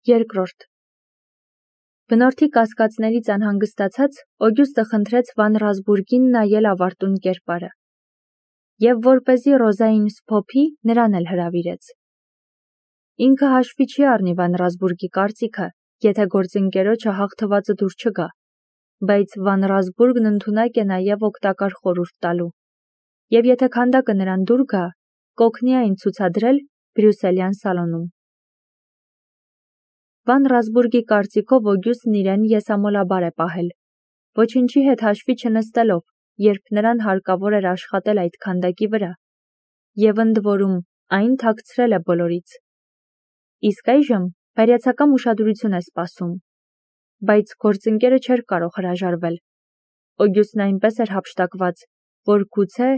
Երկրորդ Բնորդի կասկածներից անհանգստացած Օգյուստը խնդրեց Վան Ռասբուրգին նայել ավարտուն կերպարը և որպեսզի Ռոզային սփոփի, նրան էլ հրավիրեց։ Ինքը հաշվի չի առնի Վան Ռասբուրգի կարծիքը, եթե գործընկերոջը հաղթվածը դուր չգա, բայց Վան Ռասբուրգն ընդունակ է նաև օգտակար խորհուրդ տալու, և եթե քանդակը նրան դուր գա, կօգնի այն ցուցադրել Բրյուսելյան սալոնում։ Վան Ռասբուրգի կարծիքով Օգյուստն իրեն եսամոլաբար է պահել, ոչնչի հետ հաշվի չնստելով, երբ նրան հարկավոր էր աշխատել այդ քանդակի վրա, և ընդ որում այն թաքցրել է բոլորից։ Իսկ այժմ բարյացակամ ուշադրություն է սպասում, բայց գործընկերը չէր կարող հրաժարվել։ Օգյուստն այնպես էր հափշտակված, որ գուցե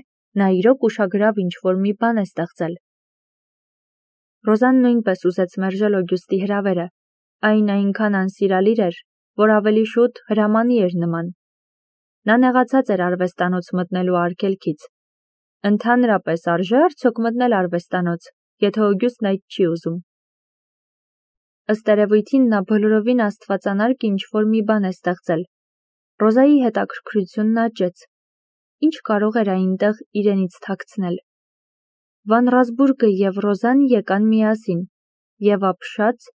նա իրոք ուշագրավ ինչ-որ մի բան է ստեղծել։ Ռոզան նույնպես ուզեց մերժել Օգյուստի հրավերը, այն այնքան անսիրալիր էր, որ ավելի շուտ հրամանի էր նման։ Նա նեղացած էր արվեստանոց մտնելու արգելքից։ Ընդհանրապես արժե արդյոք մտնել արվեստանոց, եթե Օգյուստն այդ չի ուզում։ Ըստ երևույթին նա բոլորովին աստվածանարգ ինչ-որ մի բան է ստեղծել։ Ռոզայի հետաքրքրությունն աճեց։ Ինչ կարող էր այնտեղ իրենից թաքցնել։ Վան Ռասբուրգը և Ռոզան եկան միասին և ապշած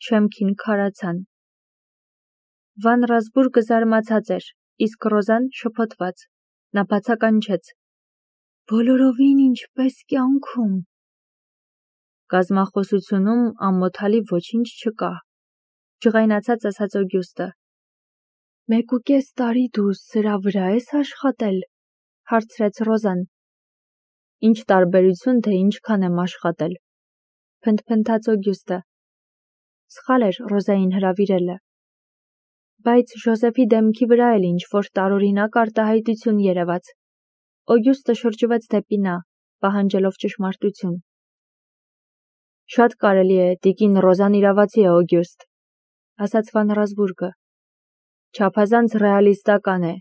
շեմքին քարացան։ Վան Ռասբուրգը զարմացած էր, իսկ Ռոզան շփոթված։ Նա բացականչեց. Բոլորովին ինչպես կյանքում։ Կազմախոսությունում ամոթալի ոչինչ չկա, ջղայնացած ասաց Օգյուստը։ 1.5 տարի դու սրա վրա ես աշխատել, հարցրեց Ռոզան։ Ինչ տարբերություն, թե ինչքան եմ աշխատել, փնթփնթաց Օգյուստը։ Սխալ էր Ռոզային հրավիրելը։ Բայց Ժոզեֆի դեմքի վրա էլ ինչ-որ տարօրինակ արտահայտություն երևաց։ Օգյուստը շրջվեց դեպի նա, պահանջելով ճշմարտություն։ Շատ կարելի է, տիկին Ռոզան իրավացի է, Օգյուստ, ասաց Վան Ռասբուրգը։ Չափազանց ռեալիստական է։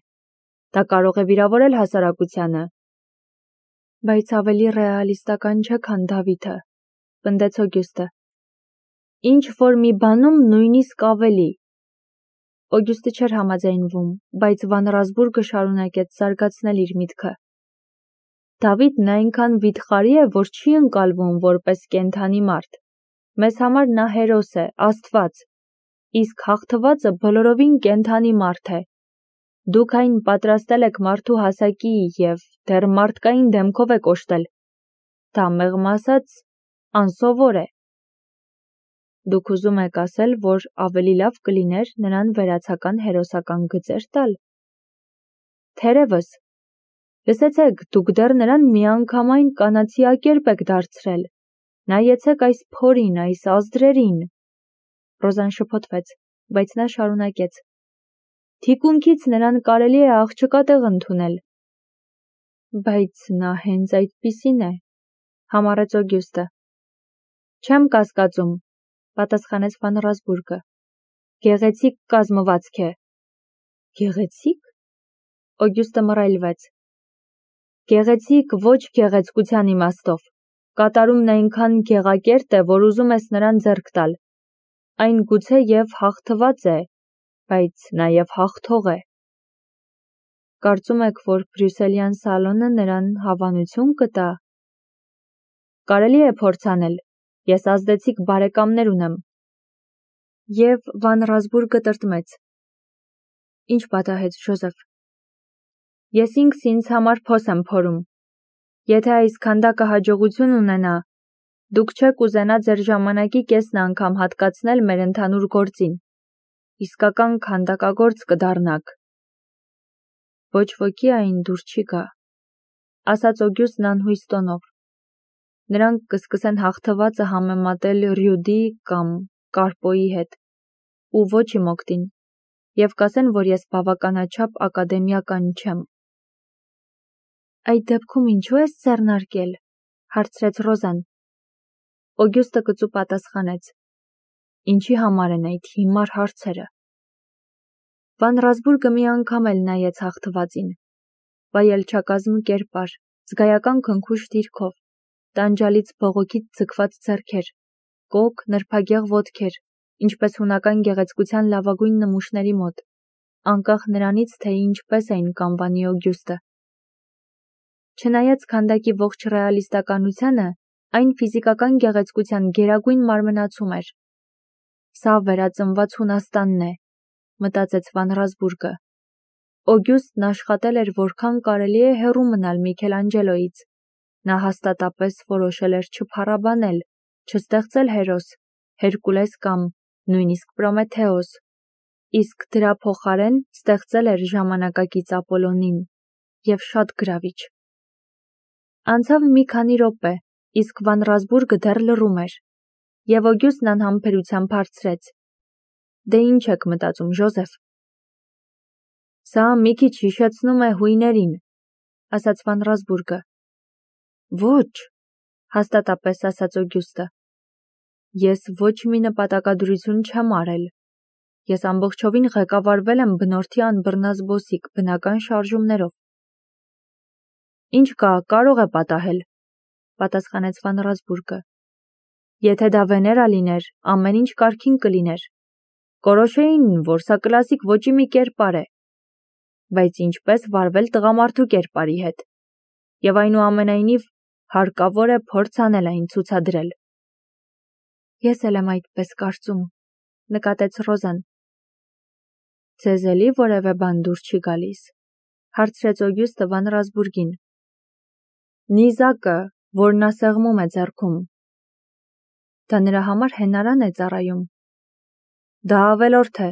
Դա կարող է վիրավորել հասարակությանը։ Բայց ավելի ռեալիստական չէ, քան Դավիթը, պնդեց Օգյուստը։ Ինչ որ մի բանում նույնիսկ ավելի։ Օգյուստը չէր համաձայնվում, բայց Վան Ռասբուրգը շարունակեց զարգացնել իր միտքը։ Դավիթն այնքան վիթխարի է, որ չի ընկալվում որպես կենդանի մարդ։ Մեզ համար նա հերոս է, աստված, իսկ հաղթվածը բոլորովին կենդանի մարդ է։ Դուք այն պատրաստել եք մարդու հասակի և դեռ մարդկային դեմքով եք օժտել։ Դա մեղմ ասած անսովոր է։ Դուք ուզում եք ասել, որ ավելի լավ կլիներ նրան վերացական հերոսական գծեր տալ։ Թերևս։ Լսեցեք, դուք դեռ նրան միանգամայն կանացիակերպ եք դարձրել։ Նայեցեք այս փորին, այս ազդրերին։ Ռոզան շփոթվեց, բայց նա շարունակեց. Թիկունքից նրան կարելի է աղջկա տեղ ընդունել։ Բայց նա հենց այդպիսին է, համառեց Օգյուստը։ Չեմ կասկածում, պատասխանեց Վան Ռասբուրգը։ Գեղեցիկ կազմվածք է։ Գեղեցիկ։ Օգյուստը մռայլվեց։ Գեղեցիկ ոչ գեղեցկության իմաստով։ Կատարումն այնքան գեղակերտ է, որ ուզում ես նրան ձեռք տալ։ Այն գուցե և հաղթված է, բայց նաև հաղթող է։ Կարծում եք, որ Բրյուսելյան սալոնը նրան հավանություն կտա։ Կարելի է փորձ անել։ Ես ազդեցիկ բարեկամներ ունեմ։ Եվ Վան Ռասբուրգը տրտմեց։ Ինչ պատահեց, Ժոզեֆ։ Ես ինքս ինձ համար փոս եմ փորում։ Եթե այս քանդակը հաջողություն ունենա, դուք չեք ուզենա ձեր ժամանակի կեսն անգամ հատկացնել մեր ընդհանուր գործին։ Իսկական քանդակագործ կդառնաք։ Ոչ ոքի այն դուր չի գա, ասաց Օգյուստն անհույս տոնով։ Նրանք կսկսեն հաղթվածը համեմատել Ռյուդի կամ Կարպոյի հետ, ու ոչ իմ օգտին, և կասեն, որ ես բավականաչափ ակադեմիական չեմ։ Այդ դեպքում ինչու ես ձեռնարկել, հարցրեց Ռոզան։ Օգյուստը կծու պատասխանեց. Ինչի համար են այդ հիմար հարցերը։ Վան Ռասբուրգը մի անգամ էլ նայեց հաղթվածին։ Վայելչակազմ կերպար, զգայական քնքուշ դիրքով, տանջալից բողոքից ձգված ձեռքեր, կոկ, նրբագեղ ոտքեր, ինչպես հունական գեղեցկության լավագույն նմուշների մոտ, անկախ նրանից, թե ինչպես էին կանվանի Օգյուստը։ Չնայած քանդակի ողջ ռեալիստականությանը, այն ֆիզիկական գեղեցկության գերագույն մարմնացում էր։ Սա վերածնված Հունաստանն է, մտածեց Վան Ռասբուրգը։ Օգյուստն աշխատել էր որքան կարելի է հեռու մնալ Միքելանջելոյից։ Նա հաստատապես որոշել էր չփառաբանել, չստեղծել հերոս, Հերկուլես կամ նույնիսկ Պրոմեթեոս, իսկ դրա փոխարեն ստեղծել էր ժամանակակից Ապոլոնին, և շատ գրավիչ։ Անցավ մի քանի րոպե, իսկ Վան Ռասբուրգը դեռ լռում էր, և Օգյուստն անհամբերությամբ հարցրեց. «Դե ինչ եք մտածում, Ժոզեֆ»։ «Սա մի քիչ հիշեցնում է հույներին», ասաց Վան Ռասբուրգը։ «Ոչ», հաստատապես ասաց Օգյուստը։ «Ես ոչ մի նպատակադրություն չեմ արել։ Ես ամբողջովին ղեկավարվել եմ բնորդի անբռնազբոսիկ բնական շարժումներով»։ «Ինչ կա, կարող է պատահել», պատասխանեց Վան Ռասբուրգը։ «Եթե դա Վեներա լիներ, ամեն ինչ կարգին կլիներ։ Կորոշեին, որ սա կլասիկ ոճի մի կերպար է։ Բայց ինչպես վարվել տղամարդու կերպարի հետ։ Եվ այնուամենայնիվ հարկավոր է փորձ անել այն ցուցադրել»։ «Ես էլ եմ այդպես կարծում», նկատեց Ռոզան։ «Ձեզ էլի որևէ բան դուր չի գալիս», հարցրեց Օգյուստը Վան Ռասբուրգին։ «Նիզակը, որ նա սեղմում է ձեռքում։ Դա նրա համար հենարան է ծառայում։ Դա ավելորդ է,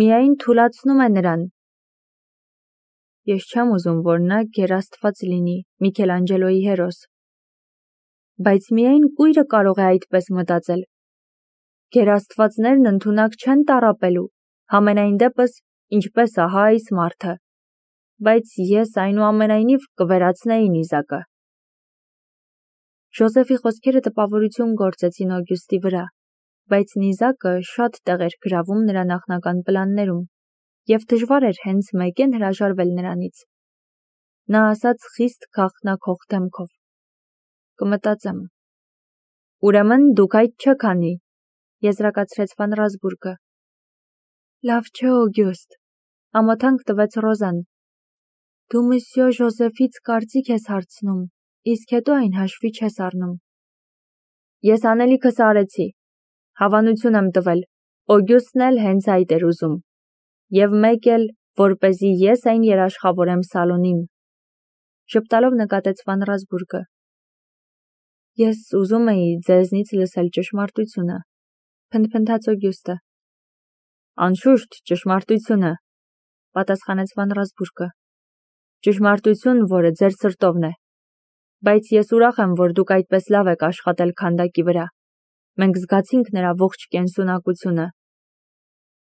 միայն թուլացնում է նրան։ Ես չեմ ուզում, որ նա գերաստված լինի, Միքելանջելոյի հերոս։ Բայց միայն կույրը կարող է այդպես մտածել։ Գերաստվածներն ընդունակ չեն տառապելու, համենայն դեպս, ինչպես ահա այս մարդը։ Բայց ես այնուամենայնիվ կվերացնեի նիզակը»։ Ժոզեֆի խոսքերը տպավորություն գործեցին Օգյուստի վրա, բայց նիզակը շատ տեղ էր գրավում նրա նախնական պլաններում, և դժվար էր հենց մեկեն հրաժարվել նրանից։ Նա ասաց խիստ գաղտնաքող դեմքով. «Կմտածեմ»։ «Ուրեմն դուք այդ չեք անի», եզրակացրեց Վան Ռասբուրգը։ «Լավ չէ, Օգյուստ», ամոթանք տվեց Ռոզան։ «Դու Մսյո Ժոզեֆից կարծիք ես հարցնում, իսկ հետո այն հաշվի չես առնում»։ «Ես անելիքս արեցի, հավանություն եմ տվել, Օգյուստն էլ հենց այդ էր ուզում, և մեկ էլ, որպեսզի ես այն երաշխավորեմ Սալոնին», ժպտալով նկատեց Վան Ռասբուրգը։ «Ես ուզում էի ձեզնից լսել ճշմարտությունը», փնթփնթաց Օգյուստը։ «Անշուշտ, ճշմարտությունը», պատասխանեց Վան Ռասբուրգը։ «Ճշմարտություն, որը ձեր սրտովն է։ Բայց ես ուրախ եմ, որ դուք այդպես լավ եք աշխատել քանդակի վրա։ Մենք զգացինք նրա ողջ կենսունակությունը։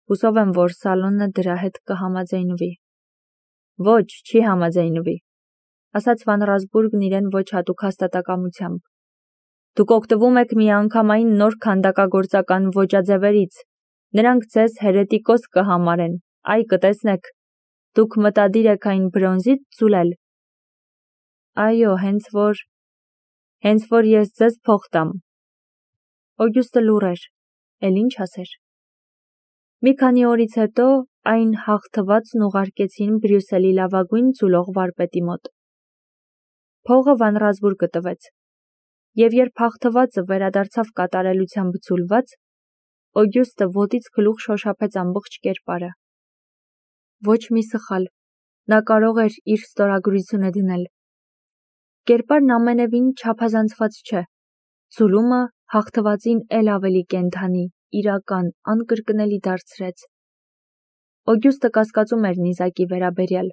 Հուսով եմ, որ Սալոնը դրա հետ կհամաձայնվի»։ «Ոչ, չի համաձայնվի», ասաց Վան Ռասբուրգն իրեն ոչ հատուկ հաստատակամությամբ։ «Դուք օգտվում եք միանգամայն նոր քանդակագործական ոճաձևերից։ Նրանք ձեզ հերետիկոս կհամարեն, այ կտեսնեք։ Դուք մտադիր եք այն բրոնզից ձուլել»։ «Այո, հենց որ ես ձեզ փող տամ»։ Օգյուստը լուռ էր, էլ ինչ ասեր։ Մի քանի օրից հետո այն հաղթվածն ուղարկեցին Բրյուսելի լավագույն ձուլող վարպետի մոտ։ Փողը Վան Ռասբուրգը տվեց, և երբ հաղթվածը վերադարձավ կատարելությամբ ձուլված, Օգյուստը ոտից գլուխ շոշափեց ամբողջ կերպարը։ Ոչ մի սխալ, նա կարող էր իր ստորագրությունը դնել։ Կերպարն ամենևին չափազանցված չէ։ Ձուլումը հաղթվածին էլ ավելի կենդանի, իրական, անկրկնելի դարձրեց։ Օգյուստը կասկածում էր նիզակի վերաբերյալ,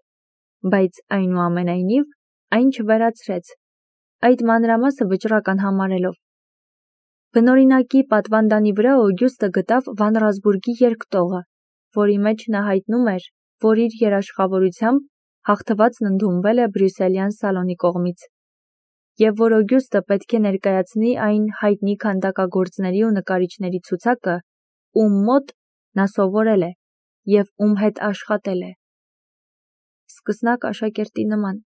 բայց այնուամենայնիվ այն չվերացրեց, այդ մանրամասը վճռական համարելով։ Բնօրինակի պատվանդանի վրա Օգյուստը գտավ Վան Ռասբուրգի երկտողը, որի մեջ նա հայտնում էր, որ իր երաշխավորությամբ հաղթվածն ընդունվել է Բրյուսելյան Սալոնի կողմից, և որ Օգյուստը պետք է ներկայացնի այն հայտնի քանդակագործների ու նկարիչների ցուցակը, ում մոտ նա սովորել է և ում հետ աշխատել է։ Սկսնակ աշակերտի նման,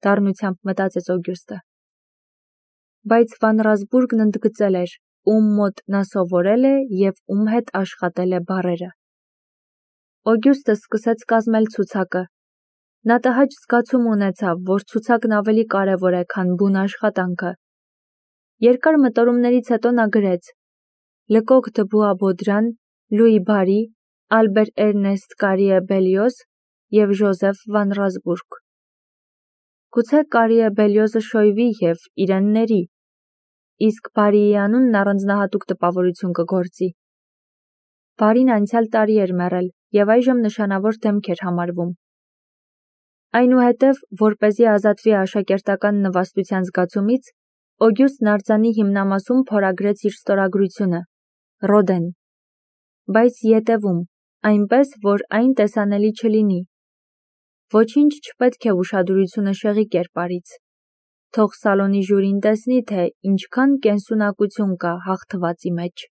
դառնությամբ մտածեց Օգյուստը։ Բայց Վան Ռասբուրգն ընդգծել էր, ում մոտ նա սովորել է և ում հետ աշխատել է բառերը։ Օգյուստը սկսեց կազմել ցուցակը։ Նա տհաճ զգացում ունեցավ, որ ցուցակն ավելի կարևոր է, քան բուն աշխատանքը։ Երկար մտորումներից հետո նա գրեց. Լկոկ դը Բուաբոդրան, Լուի Բարի, Ալբեր Էրնեստ Կարիե Բելիոզ և Ժոզեֆ վան Ռազբուրգ։ Գուցե Կարիե Բելիոզը շոյվի և իրեն ների, իսկ Բարիի անունն առանձնահատուկ տպավորություն կգործի։ Բարին անցյալ տարի էր մեռել և այժմ նշանավոր դեմք էր համարվում։ Այնուհետև, որպեսզի ազատվի աշակերտական նվաստության զգացումից, Օգյուստն արձանի հիմնամասում փորագրեց իր ստորագրությունը՝ Ռոդեն, բայց ետևում, այնպես, որ այն տեսանելի չլինի։ Ոչինչ չպետք է ուշադրությունը շեղի կերպարից։ Թող սալոնի ժյուրին տեսնի, թե ինչքան կենսունակություն կա հաղթվածի մեջ։